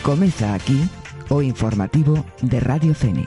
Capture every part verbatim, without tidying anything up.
Comeza aquí o informativo de Radio Fene.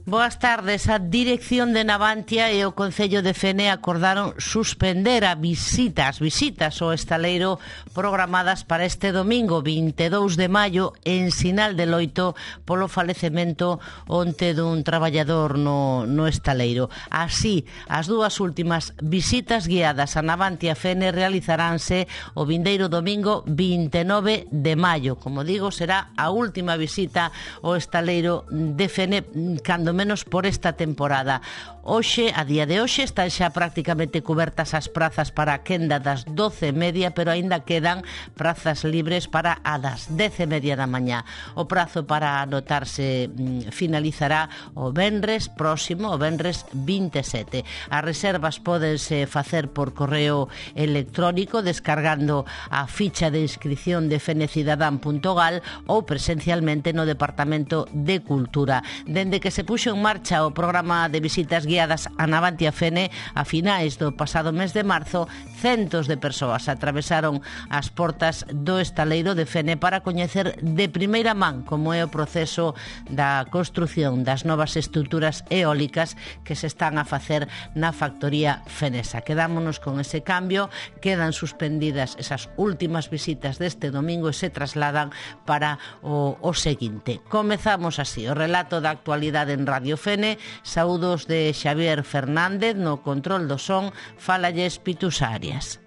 Boas tardes. A Dirección de Navantia e o Concello de Fene acordaron suspender a visitas, visitas ao estaleiro programadas para este domingo vinte e dous de maio en sinal de loito polo falecemento onte dun traballador no, no estaleiro. Así, as dúas últimas visitas guiadas a Navantia Fene realizaránse o vindeiro domingo vinte e nove de maio. Como digo, será a última visita ao estaleiro de Fene, cando menos por esta temporada. Hoxe, a día de hoxe, están xa prácticamente cubertas as prazas para a quenda das doce e media, pero aínda quedan prazas libres para a das dez e media da mañá. O prazo para anotarse mm, finalizará o venres próximo, o venres vinte e sete. As reservas pódense facer por correo electrónico descargando a ficha de inscripción de fenecidadan punto gal ou presencialmente no Departamento de Cultura. Dende que se puxo en marcha o programa de visitas guiadas a Navantia Fene a finais do pasado mes de marzo, centos de persoas atravesaron as portas do estaleiro de Fene para coñecer de primeira man como é o proceso da construción das novas estruturas eólicas que se están a facer na factoría fenesa. Quedámonos con ese cambio, quedan suspendidas esas últimas visitas deste domingo e se trasladan para o, o seguinte. Comezamos así o relato da actualidade en Radio Fene. Saúdos de Xavier Fernández, no control do son, fállalles Pitus Arias.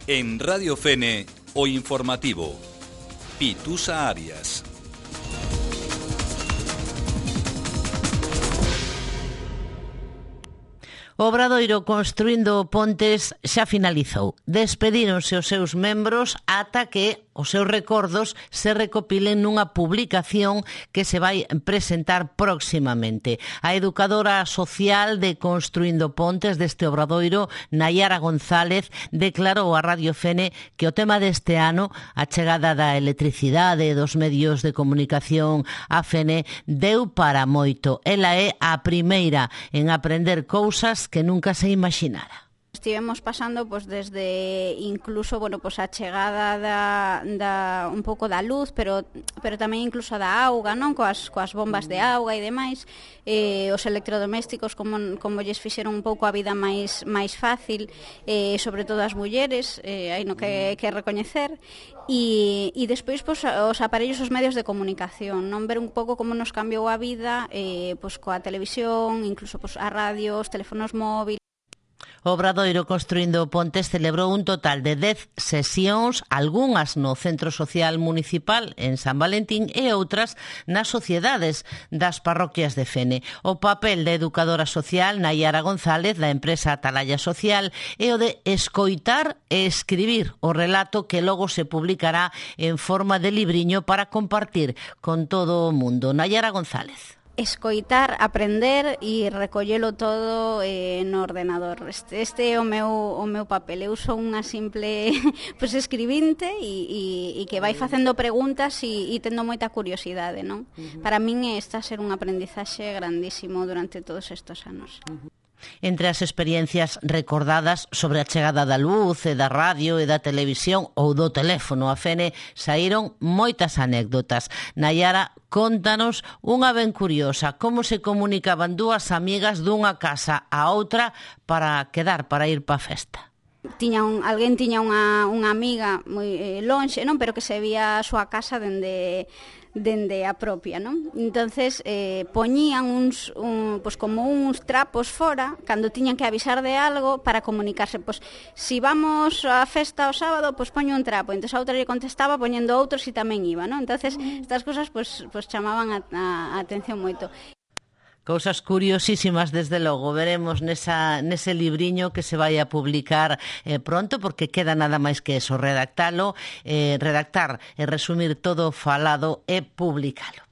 En Radio Fene, o informativo. Pitusa Arias. O Obradoiro Construindo Pontes xa finalizou. Despedíronse os seus membros ata que os seus recordos se recopilen nunha publicación que se vai presentar próximamente. A educadora social de Construindo Pontes deste Obradoiro, Nayara González, declarou a Radio Fene que o tema deste ano, a chegada da electricidade e dos medios de comunicación a Fene, deu para moito. Ela é a primeira en aprender cousas que nunca se imaginara. Estivemos pasando pois desde incluso, bueno, pois a chegada da, da un pouco da luz, pero pero tamén incluso da auga, non? Coas coas bombas de auga e demais, eh, os electrodomésticos como como lles fixeron un pouco a vida máis máis fácil, eh, sobre todo as mulleres, eh, hai no que que recoñecer. E, e despois pois, os aparellos, os medios de comunicación, non ver un pouco como nos cambiou a vida, eh, pois coa televisión, incluso pois a radio, os teléfonos móviles. O Obradoiro Construindo Pontes celebrou un total de dez sesións, algunhas no Centro Social Municipal en San Valentín e outras nas sociedades das parroquias de Fene. O papel da educadora social Nayara González da empresa Atalaya Social é o de escoitar e escribir o relato que logo se publicará en forma de libriño para compartir con todo o mundo. Nayara González. Escoitar, aprender e recollelo todo eh, no ordenador. Este, este é o meu, o meu papel. Eu sou unha simple pues, escribinte e, e, e que vai facendo preguntas e, e tendo moita curiosidade, non? Uh-huh. Para min está a ser un aprendizaxe grandísimo durante todos estes anos. Uh-huh. Entre as experiencias recordadas sobre a chegada da luz e da radio e da televisión ou do teléfono a Fene saíron moitas anécdotas. Nayara, contanos unha ben curiosa, como se comunicaban dúas amigas dunha casa a outra para quedar, para ir pa festa. Tiña un, alguén tiña unha, unha amiga moi eh, lonxe, non, pero que se vía a súa casa dende dende a propia, non? Entonces eh, poñían uns un, pues como uns trapos fora cando tiñan que avisar de algo para comunicarse, pues si vamos á festa o sábado, pues poño un trapo, entonces a outra lle contestaba poñendo outro si tamén iba, non? Entonces estas cousas pues pues chamaban a, a, a atención moito. Cousas curiosísimas, desde logo, veremos nesa, nese libriño que se vai a publicar eh, pronto, porque queda nada máis que eso, redactalo, eh, redactar e resumir todo falado e publicalo.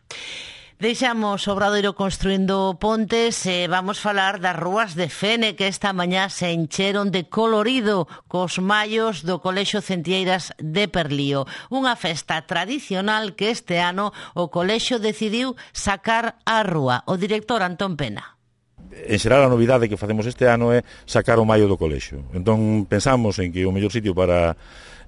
Deixamos o Obradoiro construindo pontes e vamos falar das rúas de Fene que esta mañá se encheron de colorido cos mallos do Colexio Centlleiras de Perlío. Unha festa tradicional que este ano o colexio decidiu sacar á rúa. O director Antón Pena. En xeral a novidade que facemos este ano é sacar o mallo do colexio. Entón pensamos en que o mellor sitio para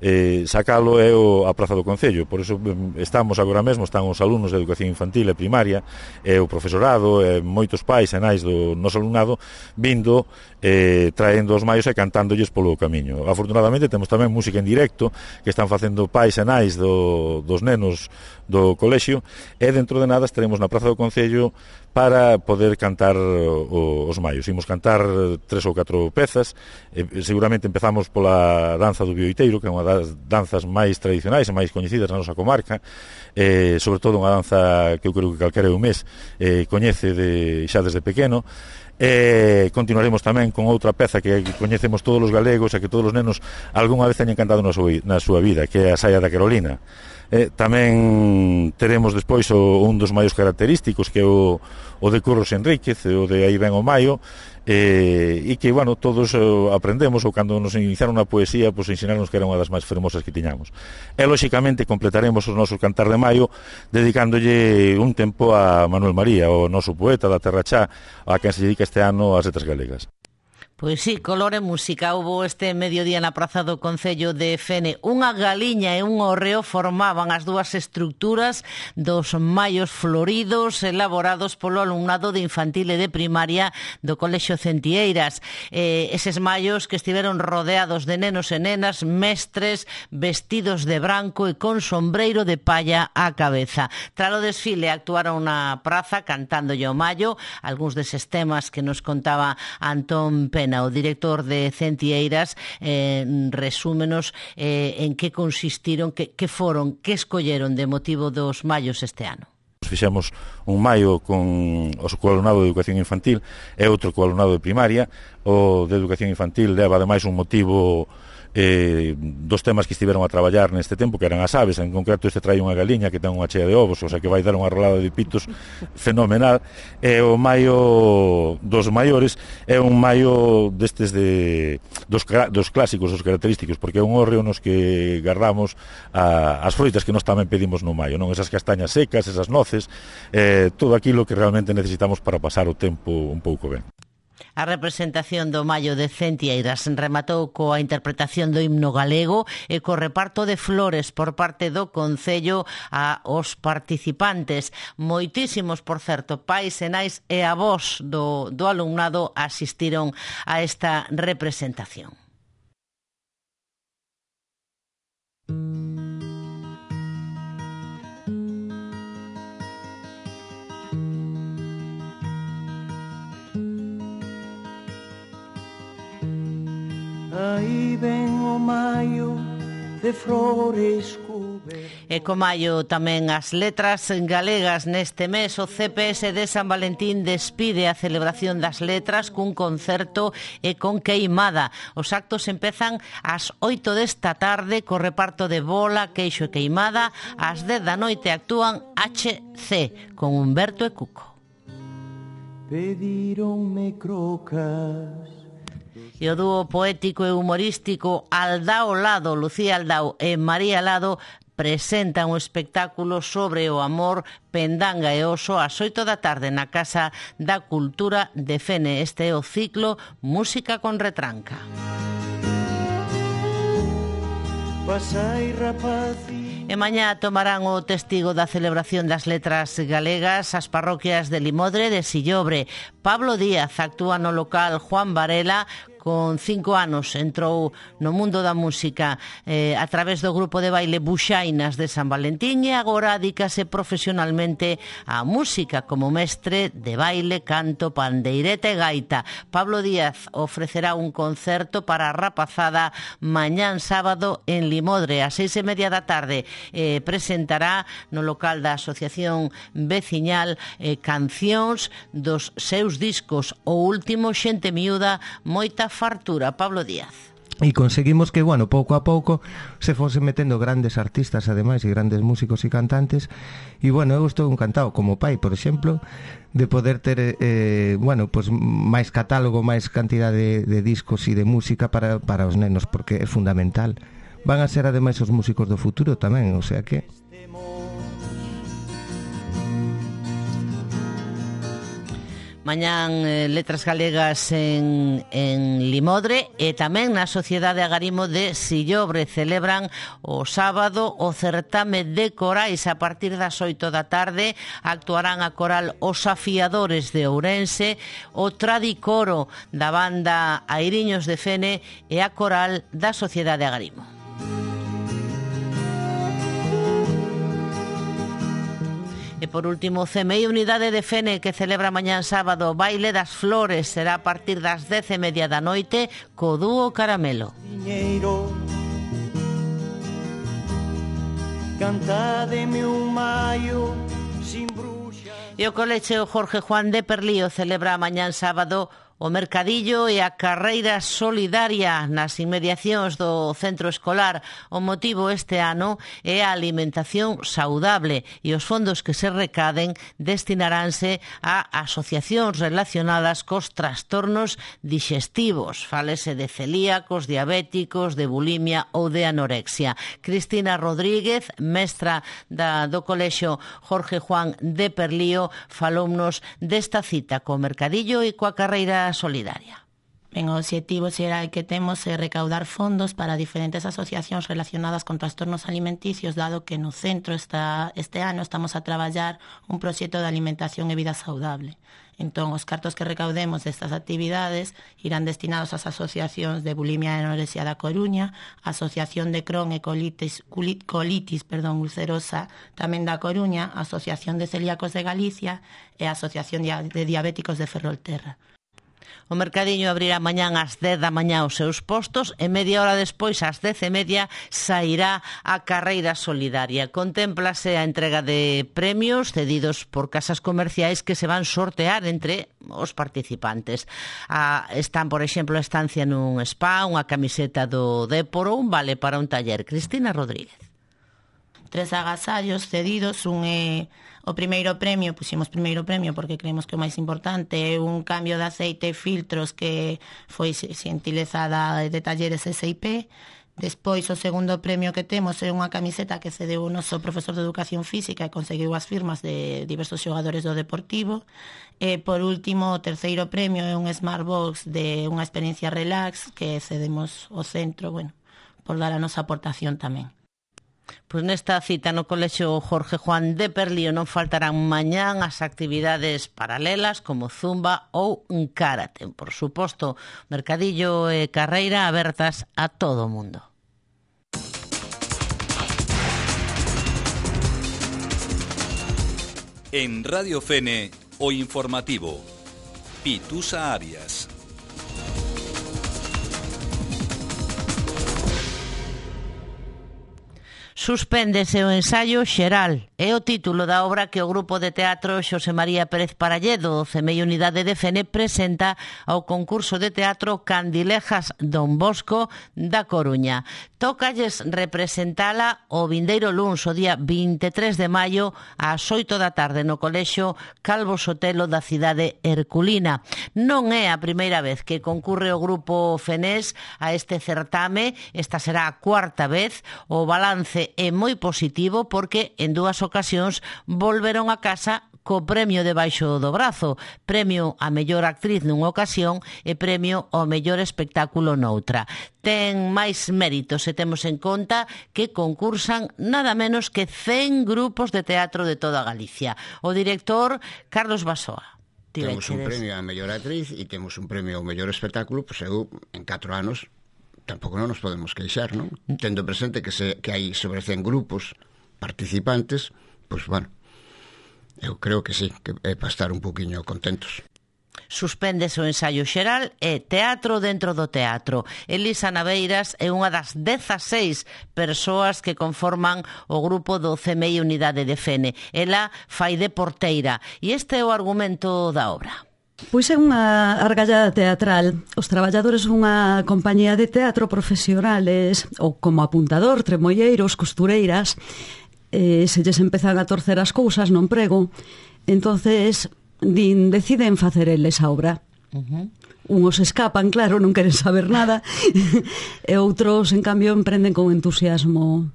eh, sacalo é o, a Praza do Concello. Por iso estamos agora mesmo, están os alumnos de educación infantil e primaria, e o profesorado, e moitos pais e nais do noso alumnado vindo, eh, traendo os mallos e cantándolles polo camiño. Afortunadamente temos tamén música en directo que están facendo pais e nais do, dos nenos do colexio, e dentro de nada estaremos na Praza do Concello para poder cantar o, os mallos. Imos cantar tres ou catro pezas, e seguramente empezamos pola danza do bioiteiro, que é unha das danzas máis tradicionais e máis coñecidas na nosa comarca, eh, sobre todo unha danza que eu creo que calquera un mes eh, coñece de, xa desde pequeno. E continuaremos tamén con outra peza que coñecemos todos os galegos e que todos os nenos algunha vez teñen cantado na súa, na súa vida, que é a Saia da Carolina. Eh, tamén teremos despois o, un dos maios característicos, que é o, o de Curros Enríquez, o de Aí ven o Maio, eh, e que, bueno, todos eh, aprendemos, ou cando nos iniciaron a poesía, pois ensinarnos que era unha das máis fermosas que tiñamos. E, lóxicamente, completaremos os nosos Cantar de Maio dedicándolle un tempo a Manuel María, o noso poeta da Terra Chá, a quen se dedica este ano ás letras galegas. Pois sí, color e música. Houbo este mediodía na Praza do Concello de Fene. Unha galiña e un hórreo formaban as dúas estructuras dos mallos floridos elaborados polo alumnado de infantil e de primaria do Colexio Centlleiras. Eh, eses mallos que estiveron rodeados de nenos e nenas, mestres, vestidos de branco e con sombreiro de palla á cabeza. Tras o desfile actuaron na praza cantándolle o mallo, algúns deses temas que nos contaba Antón Pena. O director de Centlleiras eh, resúmenos eh, en que consistiron, que, que foron, que escolleron de motivo dos mallos este ano. Fixemos un maio con o alumnado de educación infantil e outro co alumnado de primaria. O de educación infantil leva ademais un motivo eh, dos temas que estiveron a traballar neste tempo, que eran as aves. En concreto este trai unha galiña que ten unha chea de ovos, o sea que vai dar unha rolada de pitos fenomenal. E o maio dos maiores é un maio destes de dos, dos clásicos, dos característicos, porque é un hórreo nos que guardamos a, as froitas que nós tamén pedimos no maio, non? Esas castañas secas, esas noces, eh, todo aquilo que realmente necesitamos para pasar o tempo un pouco ben. A representación do mallo de Centlleiras rematou coa interpretación do himno galego e co reparto de flores por parte do Concello a os participantes. Moitísimos, por certo, pais e nais e avós do, do alumnado asistiron a esta representación. Aí ven o maio de flores cubertas. E co maio tamén as letras galegas. Neste mes o C P S de San Valentín despide a celebración das letras cun concerto e con queimada. Os actos empezan ás oito desta tarde co reparto de bola, queixo e queimada. Ás dez da noite actúan H C con Humberto e Cuco. Pedironme crocas. E o dúo poético e humorístico Aldao Lado, Lucía Aldao e María Lado presentan un espectáculo sobre o amor, pendanga e oso ás oito da tarde na Casa da Cultura de Fene. Este é o ciclo Música con Retranca. Pasai rapazi. E mañá tomarán o testigo da celebración das letras galegas as parroquias de Limodre e de Sillobre. Pablo Díaz actúa no local Juan Varela. Con cinco anos entrou no mundo da música eh, a través do grupo de baile Buxainas de San Valentín e agora adícase profesionalmente á música como mestre de baile, canto, pandeireta e gaita. Pablo Díaz ofrecerá un concerto para a rapazada mañán sábado en Limodre ás seis e media da tarde. Eh, presentará no local da Asociación Veciñal eh, cancións dos seus discos. O último, Xente Miúda, moita fartura. Pablo Díaz. E conseguimos que, bueno, pouco a pouco se fose metendo grandes artistas, ademais, e grandes músicos e cantantes. E, bueno, eu estou encantado, como pai, por exemplo, de poder ter, eh, bueno, pues máis catálogo, máis cantidade de, de discos e de música para, para os nenos, porque é fundamental. Van a ser, ademais, os músicos do futuro tamén, o sea que... Mañán eh, Letras Galegas en, en Limodre e tamén na Sociedade Agarimo de Sillobre celebran o sábado o certame de corais. A partir das oito da tarde actuarán a coral Os Afiadores de Ourense, o Tradicoro da banda Airiños de Fene e a coral da Sociedade Agarimo. E por último, C M I Unidade de Fene, que celebra mañán sábado o Baile das Flores, será a partir das dez e media da noite co dúo Caramelo. Cantademe un maio sin bruxa. E o colexio Jorge Juan de Perlío celebra mañán sábado o mercadillo e a carreira solidaria nas inmediacións do centro escolar. O motivo este ano é a alimentación saudable e os fondos que se recaden destinaránse a asociacións relacionadas cos trastornos digestivos. Fálese de celíacos, diabéticos, de bulimia ou de anorexia. Cristina Rodríguez, mestra da, do colexio Jorge Juan de Perlío, falounos desta cita co mercadillo e coa carreira solidaria. Ben, o objetivo xeral que temos é recaudar fondos para diferentes asociacións relacionadas con trastornos alimenticios, dado que no centro esta, este ano estamos a traballar un proxecto de alimentación e vida saudable. Entón, os cartos que recaudemos destas actividades irán destinados ás asociacións de bulimia e anorexia da Coruña, a Asociación de Crohn e colitis, colitis perdón, ulcerosa tamén da Coruña, a Asociación de Celíacos de Galicia e a Asociación de Diabéticos de Ferrolterra. O mercadiño abrirá mañán ás dez da mañá os seus postos e media hora despois, ás dez e media, sairá a carreira solidaria. Contémplase a entrega de premios cedidos por casas comerciais que se van sortear entre os participantes. Ah, están, por exemplo, a estancia nun spa, unha camiseta do Déporo, un vale para un taller. Cristina Rodríguez. Tres agasallos cedidos, un é o primeiro premio, puximos primeiro premio porque creemos que o máis importante é un cambio de aceite e filtros que foi xentilezada de talleres S I P. Despois, o segundo premio que temos é unha camiseta que cedeu o noso profesor de Educación Física e conseguiu as firmas de diversos xogadores do Deportivo. E, por último, o terceiro premio é un Smartbox de unha experiencia relax que cedemos ao centro, bueno, por dar a nosa aportación tamén. Pois nesta cita no colexio Jorge Juan de Perlío non faltarán mañán as actividades paralelas como zumba ou un karate. Por suposto, mercadillo e carreira abertas a todo o mundo. En Radio Fene, o informativo. Pitusa Arias. Suspéndese o ensaio xeral. É o título da obra que o grupo de teatro Xosé María Pérez Paralledo, do C M I Unidade de Fene, presenta ao concurso de teatro Candilejas Don Bosco da Coruña. Tócalles representala o vindeiro luns, o día vinte e tres de maio, ás oito da tarde no colexio Calvo Sotelo da cidade herculina. Non é a primeira vez que concurre o grupo fenés a este certame, esta será a cuarta vez. O balance é moi positivo porque en dúas ocasións volveron a casa co premio debaixo do brazo, premio a mellor actriz nunha ocasión e premio ao mellor espectáculo noutra. Ten máis méritos se temos en conta que concursan nada menos que cen grupos de teatro de toda Galicia. O director Carlos Basoa. Temos un premio a mellor actriz e temos un premio ao mellor espectáculo, pois eu en catro anos tampouco non nos podemos queixar, non? Tendo presente que, se, que hai sobre cen grupos participantes, pois, bueno, eu creo que sí, que é para estar un poquinho contentos. Suspéndese o ensaio xeral e teatro dentro do teatro. Elisa Naveiras é unha das dezaseis persoas que conforman o grupo do C M I Unidade de Fene. Ela fai de porteira e este é o argumento da obra. Pois é unha argallada teatral. Os traballadores dunha compañía de teatro profesionales, ou como apuntador, tremolleiros, costureiras, eh, se lles empezan a torcer as cousas no emprego, entonces din, deciden facer eles a obra. Uh-huh. Unos escapan, claro, non queren saber nada, e outros, en cambio, emprenden con entusiasmo.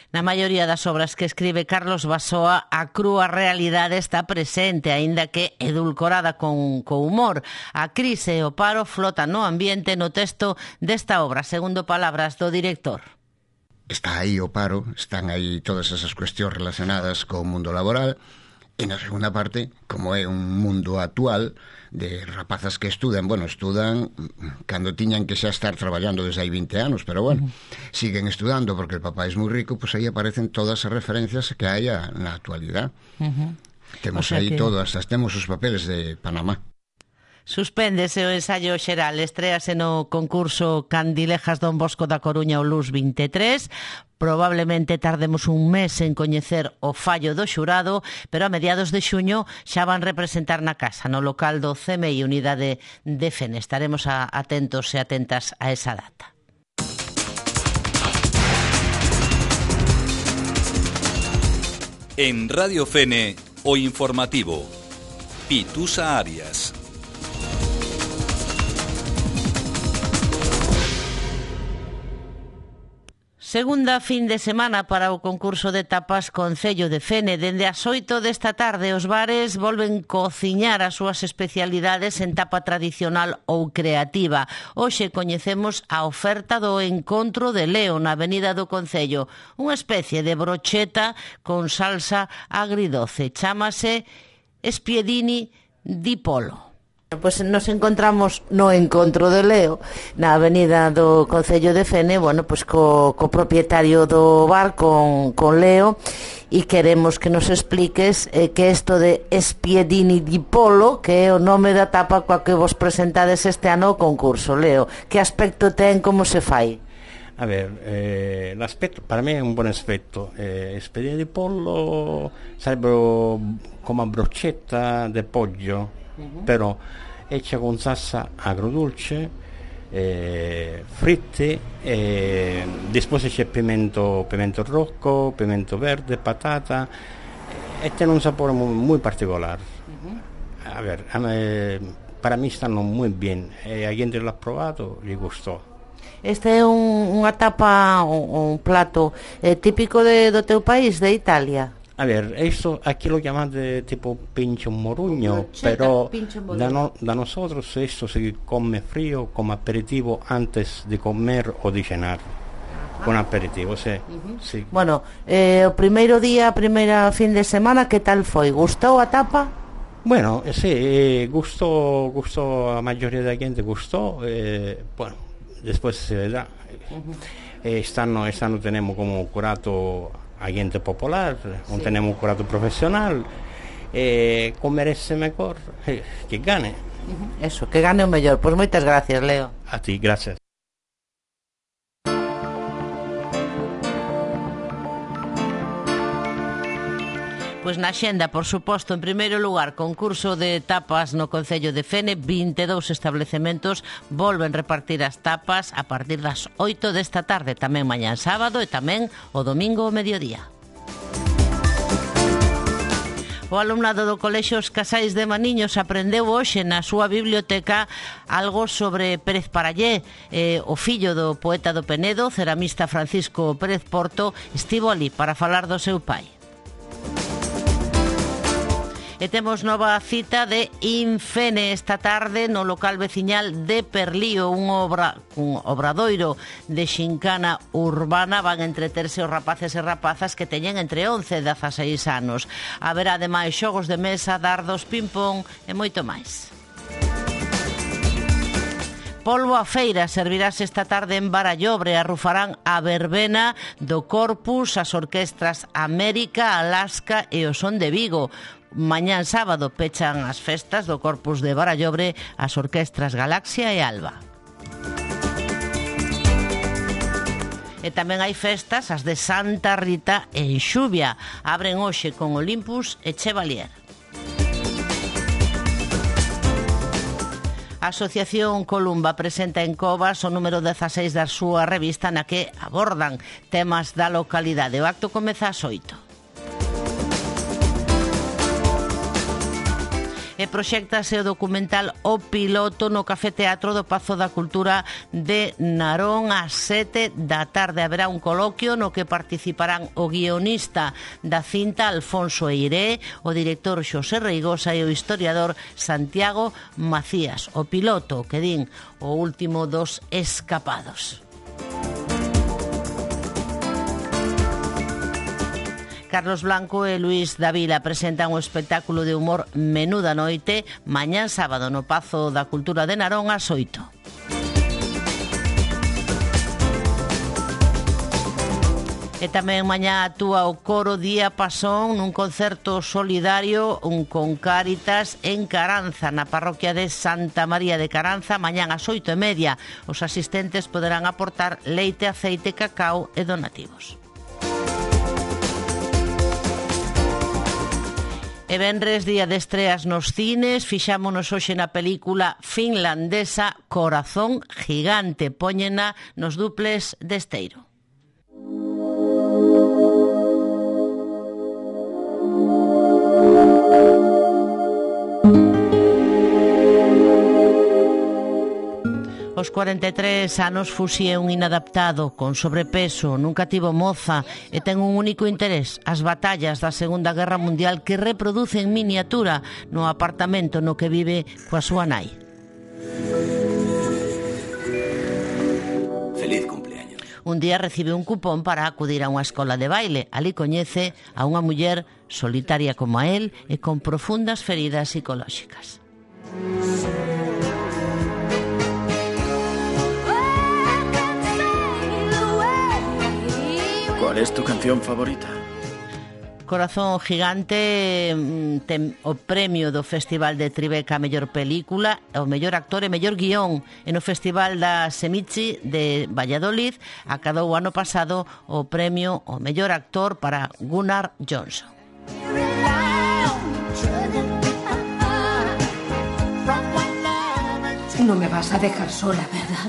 Na maioría das obras que escribe Carlos Basoa, a crúa realidade está presente, aínda que edulcorada con, con humor. A crise e o paro flotan no ambiente no texto desta obra, segundo palabras do director. Está aí o paro, están aí todas esas cuestións relacionadas co mundo laboral, e na segunda parte, como é un mundo actual de rapazas que estudan, bueno, estudan cando tiñan que xa estar traballando desde hai vinte anos, pero bueno, uh-huh. siguen estudando porque el papá es moi rico, pois pues aí aparecen todas as referencias que hai na actualidad. Uh-huh. Temos o sea aí que... todas, temos os papeles de Panamá. Suspéndese o ensaio xeral, estréase no concurso Candilejas Don Bosco da Coruña o Luz vinte e tres. Probablemente tardemos un mes en coñecer o fallo do xurado, pero a mediados de xuño xa van representar na casa, no local do C M I Unidade de Fene. Estaremos a, atentos e atentas a esa data. En Radio Fene, o informativo. Pitusa Arias. Segunda fin de semana para o concurso de tapas Concello de Fene. Dende as oito desta tarde os bares volven cociñar as súas especialidades en tapa tradicional ou creativa. Hoxe coñecemos a oferta do Encontro de Leo na Avenida do Concello. Unha especie de brocheta con salsa agridoce. Chámase Spiedini di Polo. Pois nos encontramos no Encontro de Leo na Avenida do Concello de Fene, bueno, pois co, co propietario do bar, con, con Leo, e queremos que nos expliques eh, que isto de Spiedini di Polo, que é o nome da tapa coa que vos presentades este ano ao concurso. Leo, que aspecto ten, como se fai? A ver, eh, l'aspetto para me è un buon aspetto. Eh, Spiedini di pollo sarebbero come una brochetta di pollo, uh-huh. però hecha con salsa agrodulce, eh, fritte, eh, después c'è pimento, pimento rojo, pimento verde, patata, e tiene un sapore muy, muy particular. Uh-huh. A ver, a me, para mí stanno muy bien, e a quien lo ha provato gli gustò. Este é un, unha tapa, un, un plato eh, típico de, do teu país, de Italia? A ver, esto aquí lo llamate tipo pincho morugno, pero da, no, da nosotros esto se come frío como aperitivo antes de comer o de cenar. Con aperitivo, sí. Uh-huh. sí. Bueno, eh, o primeiro día, a primeira fin de semana, que tal foi? Gustou a tapa? Bueno, eh, sí, eh, gustó, gustó a mayoría da gente, gustó, eh, bueno, después se vedrá. Uh-huh. Eh, estano, estano tenemos como curato a gente popular, non sí. tenemos un curato profesional, eh, comerese mejor, eh, que gane. Uh-huh. Eso, que gane o mellor. Pois pues moitas gracias, Leo. A ti, gracias. Pois na xenda, por suposto, en primeiro lugar, concurso de tapas no Concello de Fene, vinte e dous establecementos volven repartir as tapas a partir das oito desta tarde, tamén mañán sábado e tamén o domingo ao mediodía. O alumnado do Colexio Os Casais de Maniños aprendeu hoxe na súa biblioteca algo sobre Pérez Parallé. Eh, o fillo do poeta do Penedo, ceramista Francisco Pérez Porto, estivo ali para falar do seu pai. E temos nova cita de Infene esta tarde no local veciñal de Perlío, un, obra, un obradoiro de xincana urbana. Van entreterse os rapaces e rapazas que teñen entre once e dezaseis anos. Haberá ademais xogos de mesa, dardos, ping-pong e moito máis. Polbo a feira servirás esta tarde en Barallobre. Arrufarán a verbena do Corpus, as orquestras América, Alaska e o Son de Vigo. Mañán sábado pechan as festas do Corpus de Barallobre as orquestras Galaxia e Alba. E tamén hai festas, as de Santa Rita en Xuvia. Abren hoxe con Olympus e Chevalier. A Asociación Columba presenta en Covas o número dezaseis da súa revista na que abordan temas da localidade. O acto comeza ás oito. E proxéctase o documental O Piloto no Café Teatro do Pazo da Cultura de Narón ás sete da tarde. Haberá un coloquio no que participarán o guionista da cinta Alfonso Eiré, o director Xosé Reigosa e o historiador Santiago Macías. O Piloto, que din, o último dos escapados. Carlos Blanco e Luís Davila presentan o espectáculo de humor Menuda Noite mañán sábado no Pazo da Cultura de Narón ás oito. E tamén mañá actúa o coro Día Pasón nun concerto solidario un con Cáritas en Caranza, na parroquia de Santa María de Caranza, mañán ás oito e media. Os asistentes poderán aportar leite, aceite, cacao e donativos. E venres, día de estreas nos cines, fixámonos hoxe na película finlandesa Corazón Gigante, póñena nos duples de Esteiro. Os cuarenta e tres anos Fusi é un inadaptado, con sobrepeso, nunca tivo moza e ten un único interés, as batallas da Segunda Guerra Mundial que reproduce en miniatura no apartamento no que vive coa súa nai. Feliz cumpleaños. Un día recibe un cupón para acudir a unha escola de baile. Ali coñece a unha muller solitaria como a él e con profundas feridas psicolóxicas. ¿Cuál es tu canción favorita? Corazón Gigante ten o premio do Festival de Tribeca a mellor película, o mellor actor e mellor guión. E no Festival da Semichi de Valladolid acadou o ano pasado o premio o mellor actor para Gunnar Johnson. No me vas a dejar sola, ¿verdad?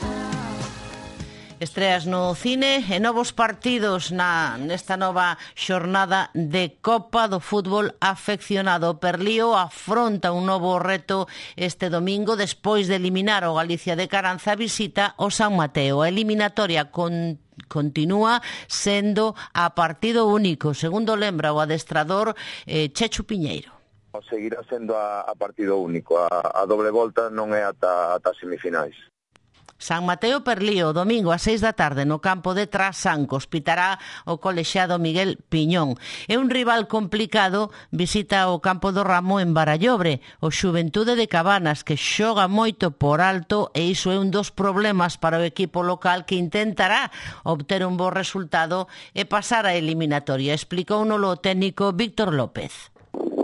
Estreas no cine e novos partidos na nesta nova xornada de Copa do Fútbol Afeccionado. O Perlío afronta un novo reto este domingo despois de eliminar o Galicia de Caranza, visita o San Mateo. A eliminatoria con continúa sendo a partido único, segundo lembra o adestrador eh, Chechu Piñeiro. Seguirá sendo a, a partido único, a, a doble volta non é ata, ata semifinais. San Mateo Perlío, domingo a seis da tarde no campo de Trasancos, pitará o colexiado Miguel Piñón. É un rival complicado, visita o campo do Ramo en Barallobre, o Xuventude de Cabanas, que xoga moito por alto e iso é un dos problemas para o equipo local que intentará obter un bo resultado e pasar a eliminatoria, explicou no lo técnico Víctor López.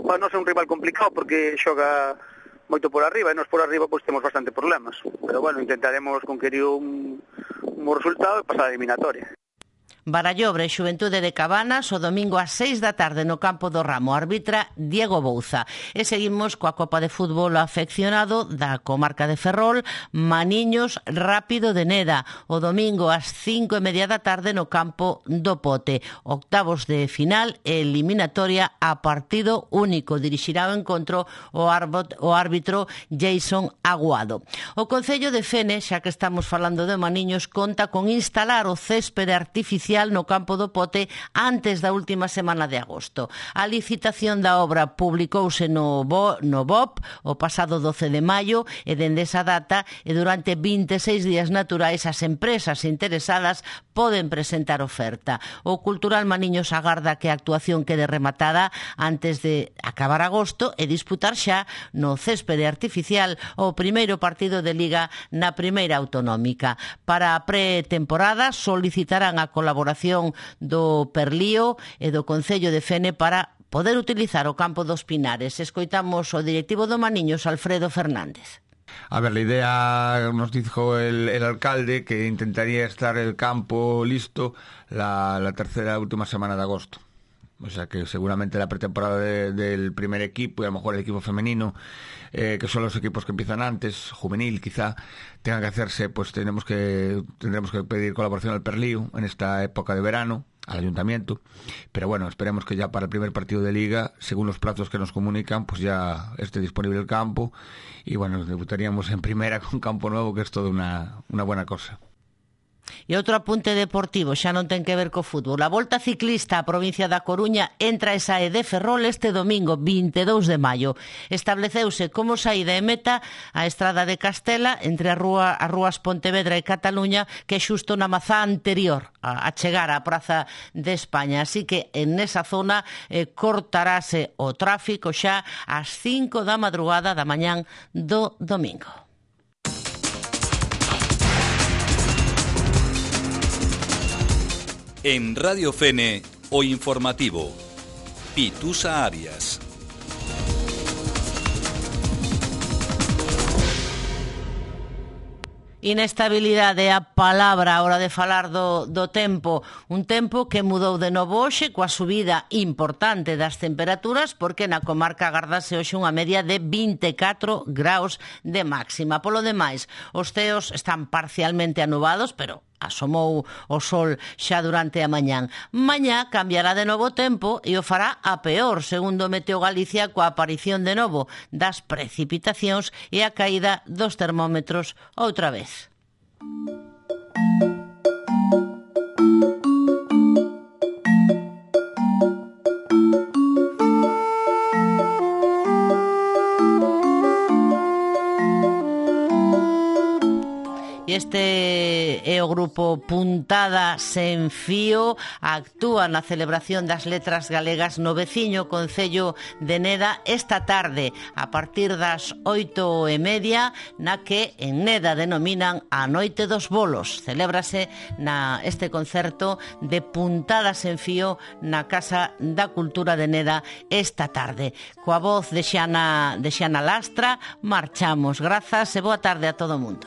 Para nós é un rival complicado porque xoga moito por arriba, e nós por arriba pois temos bastante problemas, pero bueno, intentaremos conquerir un, un bo resultado e pasar a eliminatoria. Barallobre, Xuventude de Cabanas, o domingo a seis da tarde no campo do Ramo, arbitra Diego Bouza. E seguimos coa Copa de Fútbol Afeccionado da comarca de Ferrol, Maniños Rápido de Neda, o domingo ás cinco e media da tarde no campo do Pote. Octavos de final e eliminatoria a partido único. Dirixirá o encontro o, árbot, o árbitro Jason Aguado. O Concello de Fene, xa que estamos falando de Maniños, conta con instalar o céspede artificial no campo do Pote antes da última semana de agosto. A licitación da obra publicouse no, Bo, no B O P o pasado doce de maio e dende esa data e durante vinte e seis días naturais as empresas interesadas poden presentar oferta. O Cultural Maniños agarda que a actuación quede rematada antes de acabar agosto e disputar xa no céspede artificial o primeiro partido de Liga na primeira autonómica. Para a pretemporada solicitarán a colaboración do Perlío e do Concello de Fene para poder utilizar o campo dos Pinares. Escoitamos o directivo do Maniños, Alfredo Fernández. A ver, la idea nos dijo el, el alcalde que intentaría estar el campo listo la, la tercera última semana de agosto. O sea que seguramente la pretemporada de, del primer equipo y a lo mejor el equipo femenino, eh, que son los equipos que empiezan antes, juvenil quizá, tengan que hacerse, pues tenemos que tendremos que pedir colaboración al Perlío en esta época de verano, al ayuntamiento, pero bueno, esperemos que ya para el primer partido de liga, según los plazos que nos comunican, pues ya esté disponible el campo y bueno, debutaríamos en primera con campo nuevo, que es toda una, una buena cosa. E outro apunte deportivo, xa non ten que ver co fútbol. A Volta Ciclista á provincia da Coruña entra e sae de Ferrol este domingo vinte e dous de maio. Estableceuse como saída e meta a estrada de Castela entre a rúa, as rúas Pontevedra e Cataluña, que é xusto na mazá anterior a, a chegar á Praza de España. Así que en esa zona eh, cortarase o tráfico xa ás cinco da madrugada da mañán do domingo. En Radio Fene, o informativo, Pitusa Arias. Inestabilidade é a palabra a hora de falar do, do tempo. Un tempo que mudou de novo hoxe coa subida importante das temperaturas, porque na comarca agardase hoxe unha media de vinte e catro graus de máxima. Polo demais, os ceos están parcialmente anubados, pero asomou o sol xa durante a mañán. Mañá cambiará de novo o tempo e o fará a peor, segundo Meteo Galicia, coa aparición de novo das precipitacións e a caída dos termómetros outra vez. Este é o grupo Puntada Sen Fío, actúa na celebración das letras galegas no veciño concello de Neda esta tarde a partir das oito e media, na que en Neda denominan a Noite dos Bolos. Celébrase na este concerto de Puntada Sen Fío na Casa da Cultura de Neda esta tarde. Coa voz de Xana, de Xana Lastra, marchamos. Grazas e boa tarde a todo o mundo.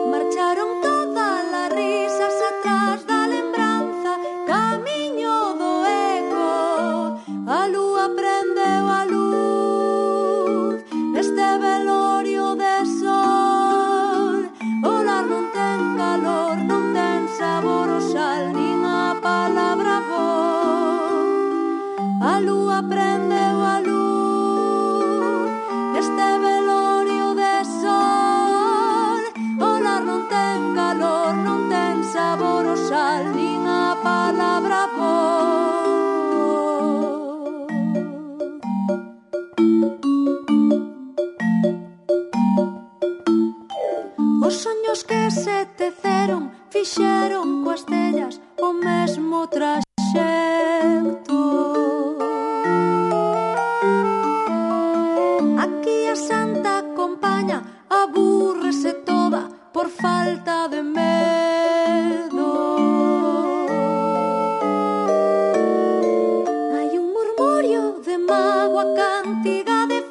Marcharon todas las risas atrás da lembranza, camiño do eco, a lúa prendeu a luz neste velorio de sol. O lar non ten calor, non ten sabor o sal, nin a palabra voz. A lúa prendeu a luz neste velorio de sol. Non ten calor, non ten sabor o sal, nin a palabra voz. Os soños que se teceron fixeron coas tellas o mesmo traxecto. Aquí a santa compaña abúrrese toda por falta de medo. Hai un murmurio de mágoa, cantiga de